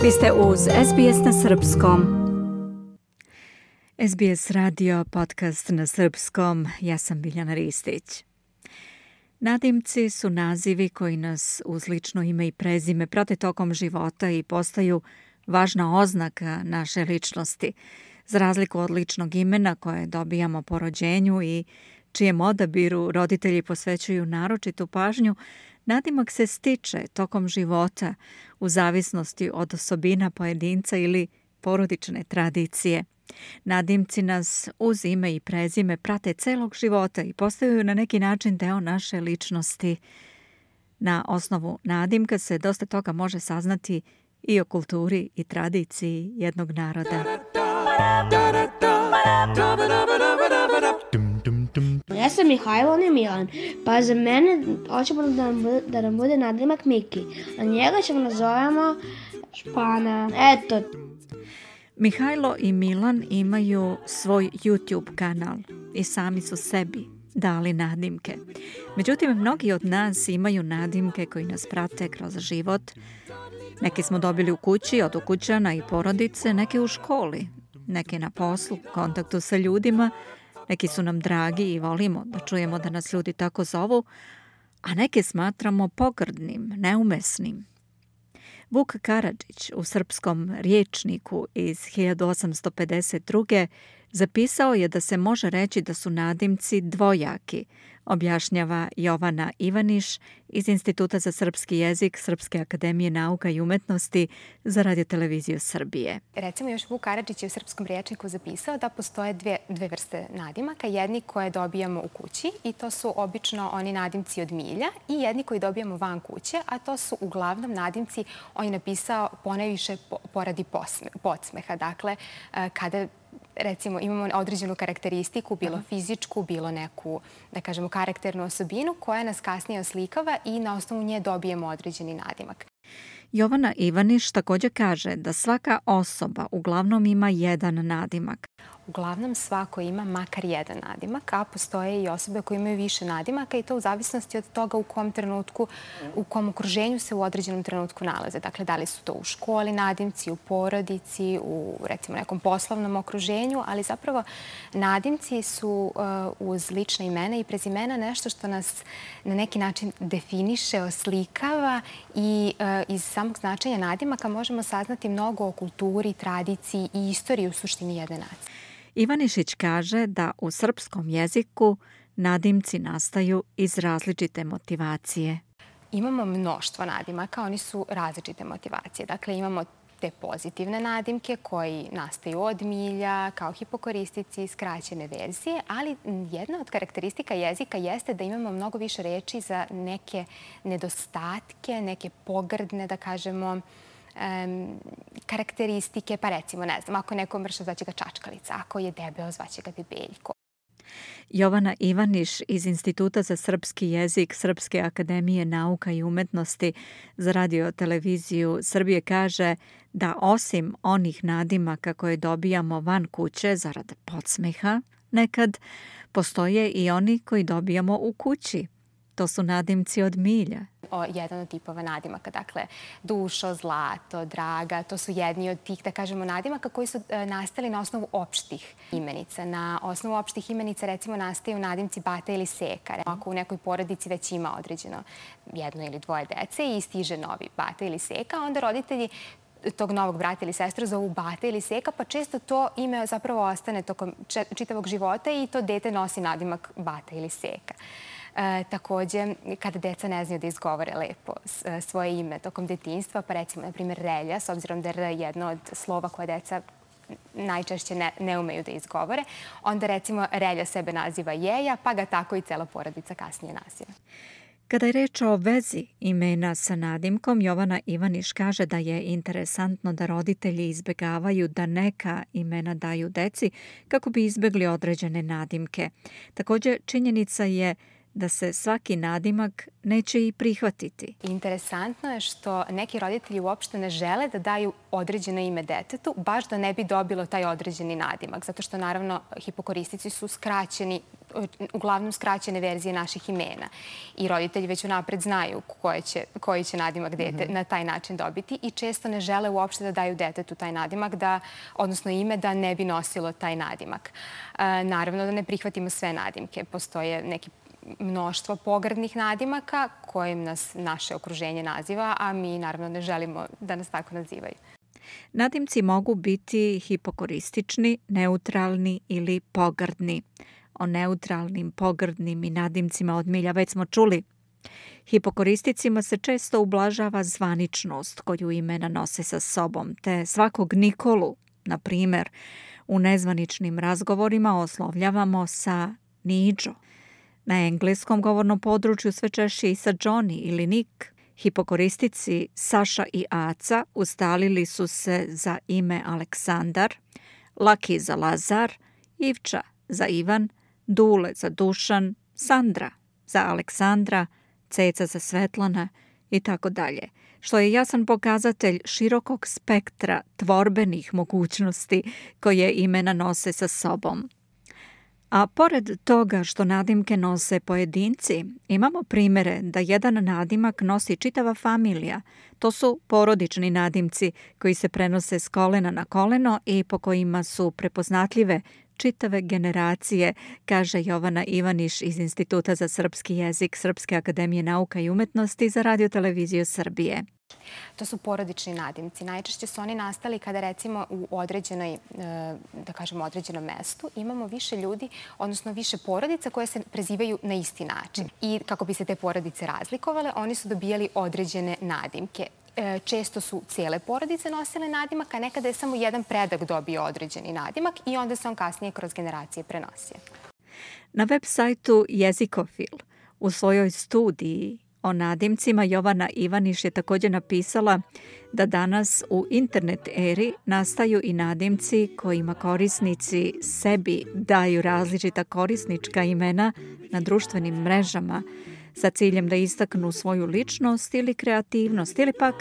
Vi ste uz SBS na srpskom. SBS radio, podcast na srpskom. Ja sam Biljana Ristić. Nadimci su nazivi koji nas uz lično ime i prezime prate tokom života i postaju važna oznaka naše ličnosti. Za razliku od ličnog imena koje dobijamo po rođenju i čijem odabiru roditelji posvećuju naročitu pažnju, nadimak se stiče tokom života u zavisnosti od osobina pojedinca ili porodične tradicije. Nadimci nas uz ime i prezime prate celog života i postaju na neki način deo naše ličnosti. Na osnovu nadimka se dosta toga može saznati i o kulturi i tradiciji jednog naroda. Ja sam Mihajlo, on je Milan, pa za mene hoćemo da nam bude nadimak Miki, a njega ćemo nazovemo Špana. Eto. Mihajlo i Milan imaju svoj YouTube kanal i sami su sebi dali nadimke. Međutim, mnogi od nas imaju nadimke koji nas prate kroz život. Neke smo dobili u kući od ukućana i porodice, neke u školi, neke na poslu, kontaktu sa ljudima. Neki su nam dragi i volimo da čujemo da nas ljudi tako zovu, a neke smatramo pogrdnim, neumesnim. Vuk Karadžić u srpskom rječniku iz 1852. zapisao je da se može reći da su nadimci dvojaki, objašnjava Jovana Ivaniš iz Instituta za srpski jezik Srpske akademije nauka i umetnosti za Radio-televiziju Srbije. Recimo, još Vuk Karadžić je u srpskom rječniku zapisao da postoje dve vrste nadimaka. Jedni koje dobijamo u kući i to su obično oni nadimci od milja i jedni koji dobijamo van kuće, a to su uglavnom nadimci, on je napisao ponajviše poradi podsmeha. Dakle, kada recimo imamo određenu karakteristiku, bilo fizičku, bilo neku, da kažemo, karakternu osobinu koja nas kasnije oslikava i na osnovu nje dobijemo određeni nadimak. Jovana Ivaniš također kaže da svaka osoba uglavnom ima jedan nadimak. Uglavnom svako ima makar jedan nadimak, a postoje i osobe koje imaju više nadimaka i to u zavisnosti od toga u kom trenutku, u kom okruženju se u određenom trenutku nalaze. Dakle, da li su to u školi nadimci, u porodici, u recimo nekom poslovnom okruženju, ali zapravo nadimci su uz lična imena i prezimena nešto što nas na neki način definiše, oslikava i iz samog značenja nadimaka možemo saznati mnogo o kulturi, tradiciji i istoriji u suštini jedne nacije. Ivanišić kaže da u srpskom jeziku nadimci nastaju iz različite motivacije. Imamo mnoštvo nadimaka, oni su različite motivacije. Dakle, imamo te pozitivne nadimke koji nastaju od milja, kao hipokoristici, skraćene verzije, ali jedna od karakteristika jezika jeste da imamo mnogo više reči za neke nedostatke, neke pogrdne, da kažemo, karakteristike, pa recimo, ne znam, ako neko mršav, zvaće ga čačkalica, ako je debeo, zvaće ga debeljko. Jovana Ivaniš iz Instituta za srpski jezik Srpske akademije nauka i umetnosti za Radio-televiziju Srbije kaže da osim onih nadimaka koje dobijamo van kuće zarad podsmeha, nekad postoje i oni koji dobijamo u kući. To su nadimci od milja. Jedan od tipova nadimaka, dakle, Dušo, Zlato, Draga, to su jedni od tih, da kažemo, nadimaka koji su nastali na osnovu opštih imenica. Na osnovu opštih imenica, recimo, nastaju nadimci Bata ili Seka. Ako u nekoj porodici već ima određeno jedno ili dvoje dece i stiže novi Bata ili Seka, onda roditelji tog novog brata ili sestru zovu Bata ili Seka, pa često to ime zapravo ostane tokom čitavog života i to dete nosi nadimak Bata ili Seka. Također, kada deca ne znaju da izgovore lepo svoje ime tokom detinjstva, pa recimo, na primjer, Relja, s obzirom da je R jedno od slova koje deca najčešće ne umeju da izgovore, onda recimo Relja sebe naziva Jeja, pa ga tako i cela porodica kasnije naziva. Kada je reč o vezi imena sa nadimkom, Jovana Ivaniš kaže da je interesantno da roditelji izbegavaju da neka imena daju deci kako bi izbegli određene nadimke. Također, činjenica je da se svaki nadimak neće i prihvatiti. Interesantno je što neki roditelji uopšte ne žele da daju određeno ime detetu, baš da ne bi dobilo taj određeni nadimak. Zato što, naravno, hipokoristici su skraćeni uglavnom skraćene verzije naših imena. I roditelji već unapred znaju koji će nadimak dete na taj način dobiti i često ne žele uopšte da daju detetu taj nadimak, odnosno ime da ne bi nosilo taj nadimak. Naravno da ne prihvatimo sve nadimke. Postoje neki mnoštvo pogrdnih nadimaka kojim nas naše okruženje naziva, a mi naravno ne želimo da nas tako nazivaju. Nadimci mogu biti hipokoristični, neutralni ili pogrdni. O neutralnim, pogrdnim i nadimcima od milja već smo čuli. Hipokoristicima se često ublažava zvaničnost koju imena nose sa sobom, te svakog Nikolu, na primjer, u nezvaničnim razgovorima oslovljavamo sa Niđo. Na engleskom govornom području sve češće i sa Johnny ili Nick. Hipokoristici Saša i Aca ustalili su se za ime Aleksandar, Laki za Lazar, Ivča za Ivan, Dule za Dušan, Sandra za Aleksandra, Ceca za Svetlana i tako dalje, što je jasan pokazatelj širokog spektra tvorbenih mogućnosti koje imena nose sa sobom. A pored toga što nadimke nose pojedinci, imamo primjere da jedan nadimak nosi čitava familija. To su porodični nadimci koji se prenose s kolena na koleno i po kojima su prepoznatljive čitave generacije, kaže Jovana Ivaniš iz Instituta za srpski jezik Srpske akademije nauka i umetnosti za Radio-televiziju Srbije. To su porodični nadimci. Najčešće su oni nastali kada recimo u određenom mestu imamo više ljudi, odnosno više porodica koje se prezivaju na isti način. I kako bi se te porodice razlikovale, oni su dobijali određene nadimke. Često su cijele porodice nosile nadimak, a nekada je samo jedan predak dobio određeni nadimak i onda se on kasnije kroz generacije prenosio. Na web sajtu Jezikofil u svojoj studiji o nadimcima Jovana Ivaniš je također napisala da danas u internet eri nastaju i nadimci kojima korisnici sebi daju različita korisnička imena na društvenim mrežama sa ciljem da istaknu svoju ličnost ili kreativnost ili pak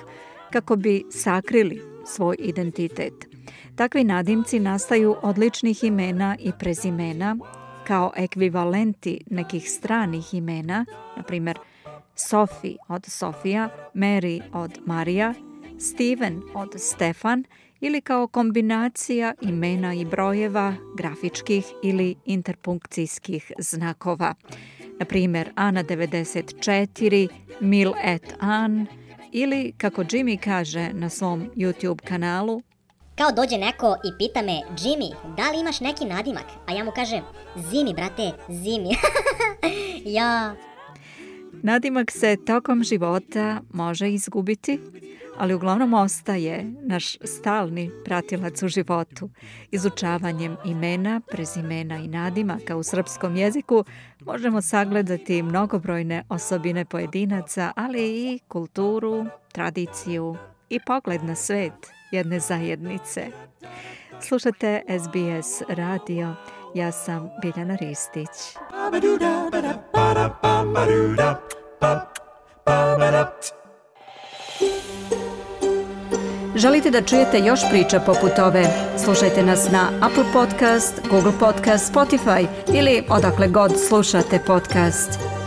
kako bi sakrili svoj identitet. Takvi nadimci nastaju od ličnih imena i prezimena kao ekvivalenti nekih stranih imena, na primjer Sophie od Sofija, Mary od Marija, Steven od Stefan ili kao kombinacija imena i brojeva, grafičkih ili interpunkcijskih znakova. Na primjer, Ana 94, Mil et An ili, kako Jimmy kaže na svom YouTube kanalu, kao dođe neko i pita me, Jimmy, da li imaš neki nadimak? A ja mu kažem, Zimi, brate, Zimi. Ja. Nadimak se tokom života može izgubiti, ali uglavnom ostaje naš stalni pratilac u životu. Izučavanjem imena, prezimena i nadimaka u srpskom jeziku možemo sagledati mnogobrojne osobine pojedinaca, ali i kulturu, tradiciju i pogled na svet jedne zajednice. Slušate SBS radio. Ja sam Biljana Ristić. Želite da čujete još priča poput ove? Slušajte nas na Apple Podcast, Google Podcast, Spotify ili odakle god slušate podcast.